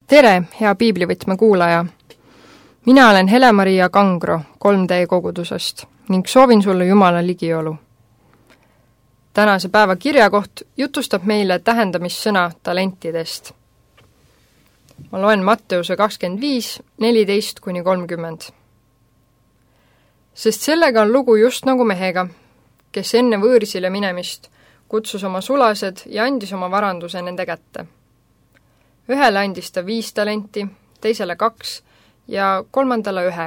Tere, hea piiblivõtme kuulaja! Mina olen Hele-Maria Kangro 3D kogudusest ning soovin sulle Jumala ligiolu. Tänase päeva kirjakoht jutustab meile tähendamissõna talentidest. Ma loen Matteuse 25, 14-30. Sest sellega on lugu just nagu mehega, kes enne võõrsile minemist kutsus oma sulased ja andis oma varanduse nende kätte. Ühele andis ta 5 talenti, teisele 2 ja kolmandale 1,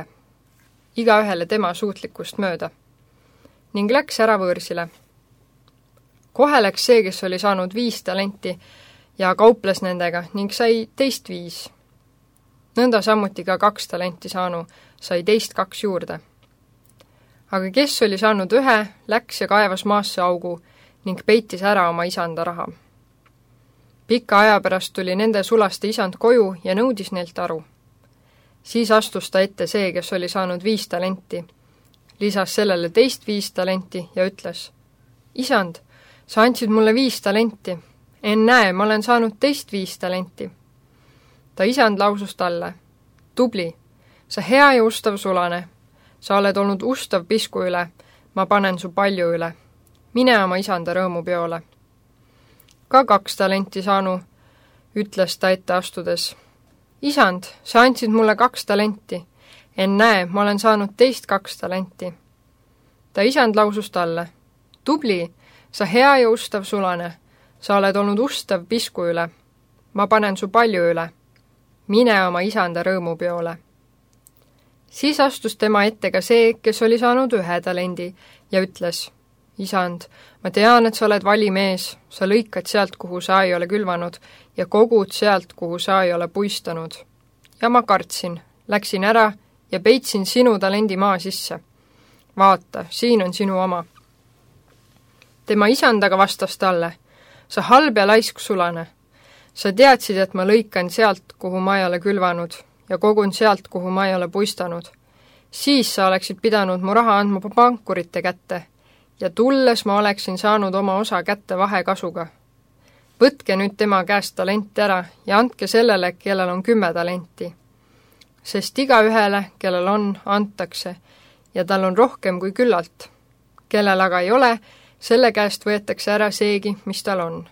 igaühele tema suutlikkust mööda, ning läks ära võõrsile. Kohe läks see, kes oli saanud 5 talenti ja kauples nendega ning sai teist 5. Nõnda samuti ka 2 talenti saanu sai teist 2 juurde. Aga kes oli saanud 1, läks ja kaevas maasse augu ning peitis ära oma isanda raha. Pika aja pärast tuli nende sulaste isand koju ja nõudis neilt aru. Siis astus ta ette see, kes oli saanud 5 talenti, lisas sellele teist 5 talenti ja ütles: Isand, sa andsid mulle 5 talenti, näe, ma olen saanud teist 5 talenti. Ta isand lausus talle: Tubli, sa hea ja ustav sulane, sa oled olnud ustav pisku üle, ma panen su palju üle. Mine oma isanda rõõmupeole. Ka 2 talenti saanu, ütles ta ette astudes: Isand, sa andsid mulle 2 talenti, näe, ma olen saanud teist 2 talenti. Ta isand lausus talle: Tubli, sa hea ja ustav sulane, sa oled olnud ustav pisku üle, ma panen su palju üle. Mine oma isanda rõõmupeole. Siis astus tema ette ka see, kes oli saanud 1 talendi ja ütles: Isand, ma tean, et sa oled vali mees, sa lõikad sealt, kuhu sa ei ole külvanud, ja kogud sealt, kuhu sa ei ole puistanud. Ja ma kartsin, läksin ära ja peitsin sinu talendi maa sisse. Vaata, siin on sinu oma. Tema isand aga vastas talle: Sa halb ja laisk sulane. Sa teadsid, et ma lõikan sealt, kuhu ma ei ole külvanud, ja kogun sealt, kuhu ma ei ole puistanud. Siis sa oleksid pidanud mu raha andma pankurite kätte, ja tulles ma oleksin saanud oma osa kätte vahekasuga. Võtke nüüd tema käest talenti ära ja andke sellele, kellel on 10 talenti. Sest igaühele, kellel on, antakse, ja tal on rohkem kui küllalt. Kellel aga ei ole, selle käest võetakse ära seegi, mis tal on.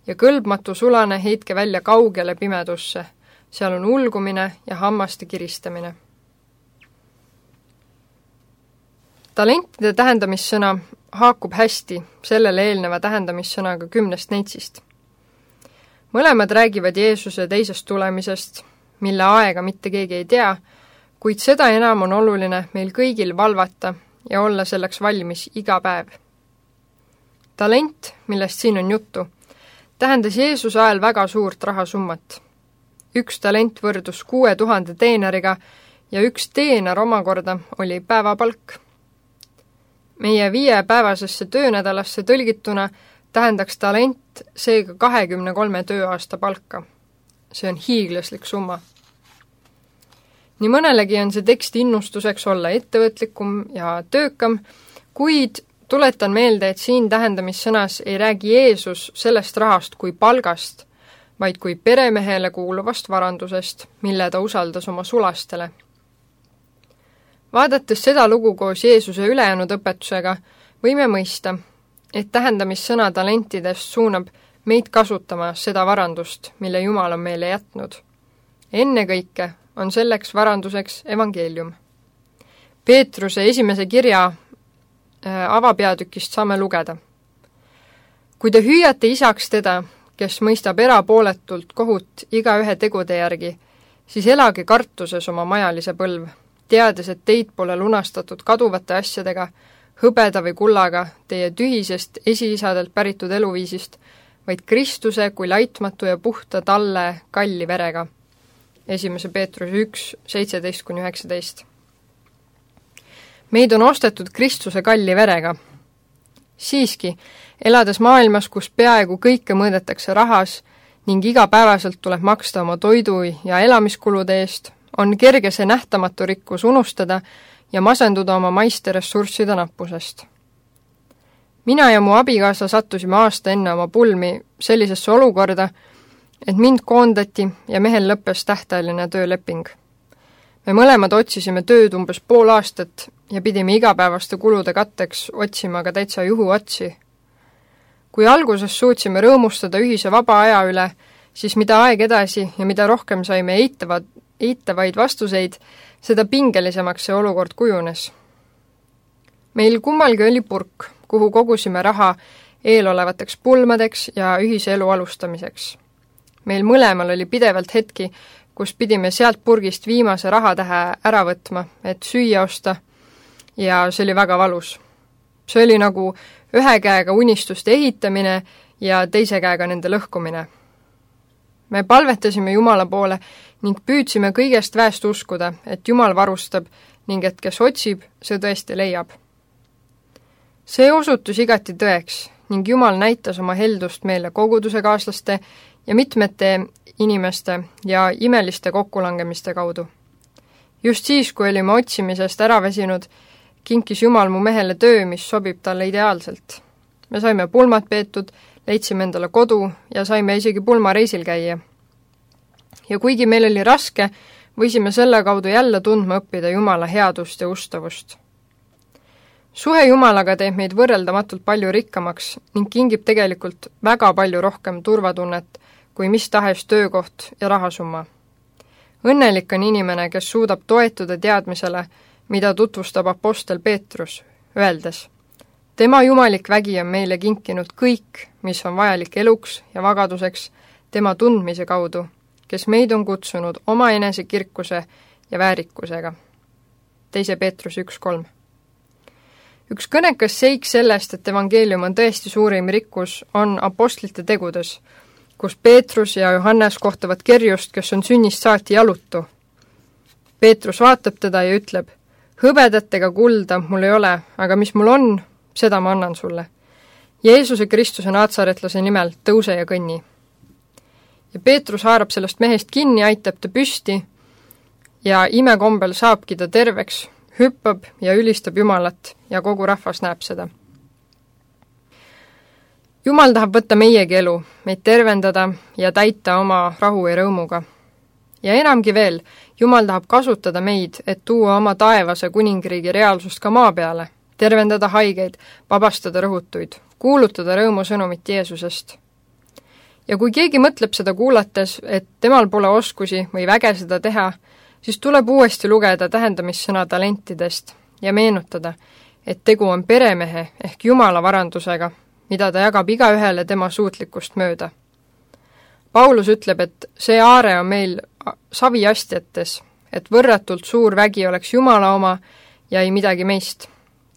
Ja kõlbmatu sulane heitke välja kaugele pimedusse, seal on ulgumine ja hammaste kiristamine. Talentide tähendamissõna haakub hästi sellele eelneva tähendamissõnaga 10 neitsist. Mõlemad räägivad Jeesuse teisest tulemisest, mille aega mitte keegi ei tea, kuid seda enam on oluline meil kõigil valvata ja olla selleks valmis iga päev. Talent, millest siin on juttu, tähendas Jeesuse ajal väga suurt rahasummat. 1 talent võrdus 6000 teenariga ja 1 teenar omakorda oli päevapalk. Meie 5-päevasesse töönädalasse tõlgituna tähendaks talent seega 23 tööaasta palka. See on hiiglaslik summa. Nii mõnelegi on see tekst innustuseks olla ettevõtlikum ja töökam, kuid tuletan meelde, et siin tähendamissõnas ei räägi Jeesus sellest rahast kui palgast, vaid kui peremehele kuuluvast varandusest, mille ta usaldas oma sulastele. Vaadates seda lugu koos Jeesuse ülejäänud õpetusega, võime mõista, et tähendamissõna talentidest suunab meid kasutama seda varandust, mille Jumal on meile jätnud. Ennekõike on selleks varanduseks evangeelium. Peetruse 1. kirja avapeatükist saame lugeda: Kui te hüüate isaks teda, kes mõistab erapooletult kohut igaühe tegude järgi, siis elage kartuses oma majalise põlv, teades, et teid pole lunastatud kaduvate asjadega, hõbeda või kullaga, teie tühisest esiisadelt päritud eluviisist, vaid Kristuse kui laitmatu ja puhta talle kalli verega. 1. Peetruse 1, 17-19. Meid on ostetud Kristuse kalli verega. Siiski, elades maailmas, kus peaaegu kõike mõõdetakse rahas ning igapäevaselt tuleb maksta oma toidu ja elamiskulude eest, on kerge see nähtamatu rikkus unustada ja masenduda oma maiste ressursside nappusest. Mina ja mu abikaasa sattusime aasta enne oma pulmi sellisesse olukorda, et mind koondati ja mehel lõppes tähtajaline tööleping. Me mõlemad otsisime tööd umbes pool aastat ja pidime igapäevaste kulude katteks otsima ka täitsa juhuotsi. Kui alguses suutsime rõõmustada ühise vaba aja üle, siis mida aeg edasi ja mida rohkem saime eitavaid vastuseid, seda pingelisemaks see olukord kujunes. Meil kummalgi oli purk, kuhu kogusime raha eelolevateks pulmadeks ja ühise elu alustamiseks. Meil mõlemal oli pidevalt hetki, kus pidime sealt purgist viimase rahatähe ära võtma, et süüa osta, ja see oli väga valus. See oli nagu ühe käega unistuste ehitamine ja teise käega nende lõhkumine. Me palvetasime Jumala poole ning püüdsime kõigest väest uskuda, et Jumal varustab ning et kes otsib, see tõesti leiab. See osutus igati tõeks ning Jumal näitas oma heldust meile koguduse kaaslaste ja mitmete inimeste ja imeliste kokkulangemiste kaudu. Just siis, kui olime otsimisest ära väsinud, kinkis Jumal mu mehele töö, mis sobib talle ideaalselt. Me saime pulmad peetud, leidsime endale kodu ja saime isegi pulmareisil käia. Ja kuigi meil oli raske, võisime selle kaudu jälle tundma õppida Jumala headust ja ustavust. Suhe Jumalaga teeb meid võrreldamatult palju rikkamaks ning kingib tegelikult väga palju rohkem turvatunnet kui mis tahes töökoht ja rahasumma. Õnnelik on inimene, kes suudab toetuda teadmisele, mida tutvustab apostel Peetrus, öeldes: tema jumalik vägi on meile kinkinud kõik, mis on vajalik eluks ja vagaduseks tema tundmise kaudu, kes meid on kutsunud oma enese kirkuse ja väärikusega. 2. Peetrus 1:3. Üks kõnekas seik sellest, et evangeelium on tõesti suurim rikkus, on apostlite tegudes, kus Peetrus ja Johannes kohtavad kerjust, kes on sünnist saati jalutu. Peetrus vaatab teda ja ütleb: hõbedat ega kulda mul ei ole, aga mis mul on, seda ma annan sulle. Jeesuse Kristuse Naatsaretlase nimel tõuse ja kõnni. Ja Peetrus haarab sellest mehest kinni, aitab ta püsti ja imekombel saabki ta terveks, hüppab ja ülistab Jumalat ja kogu rahvas näeb seda. Jumal tahab võtta meiegi elu, meid tervendada ja täita oma rahu ja rõõmuga. Ja enamgi veel, Jumal tahab kasutada meid, et tuua oma taevase kuningriigi reaalsust ka maa peale, tervendada haigeid, vabastada rõhutuid, kuulutada rõõmusõnumit Jeesusest. Ja kui keegi mõtleb seda kuulates, et temal pole oskusi või väge seda teha, siis tuleb uuesti lugeda tähendamissõna talentidest ja meenutada, et tegu on peremehe ehk Jumala varandusega, mida ta jagab igaühele tema suutlikkust mööda. Paulus ütleb, et see aare on meil saviastjates, et võrratult suur vägi oleks Jumala oma ja ei midagi meist.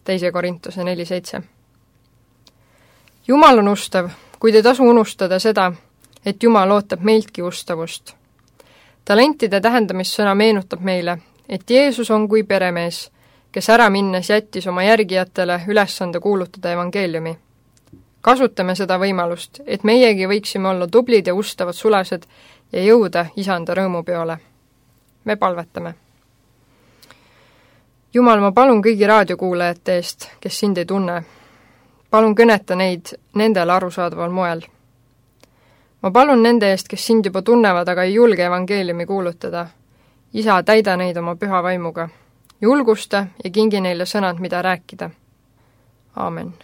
2. Korintuse 4:7. Jumal on ustav, kuid ei tasu unustada seda, et Jumal ootab meiltki ustavust. Talentide tähendamissõna meenutab meile, et Jeesus on kui peremees, kes ära minnes jättis oma järgijatele ülesande kuulutada evangeeliumi. Kasutame seda võimalust, et meiegi võiksime olla tublid ja ustavad sulased ja jõuda isanda rõõmupeole. Me palvetame. Jumal, ma palun kõigi raadiokuulajate eest, kes sind ei tunne. Palun kõneta neid nendele arusaadaval moel. Ma palun nende eest, kes sind juba tunnevad, aga ei julge evangeeliumi kuulutada. Isa, täida neid oma püha vaimuga. Julgusta ja kingi neile sõnad, mida rääkida. Aamen.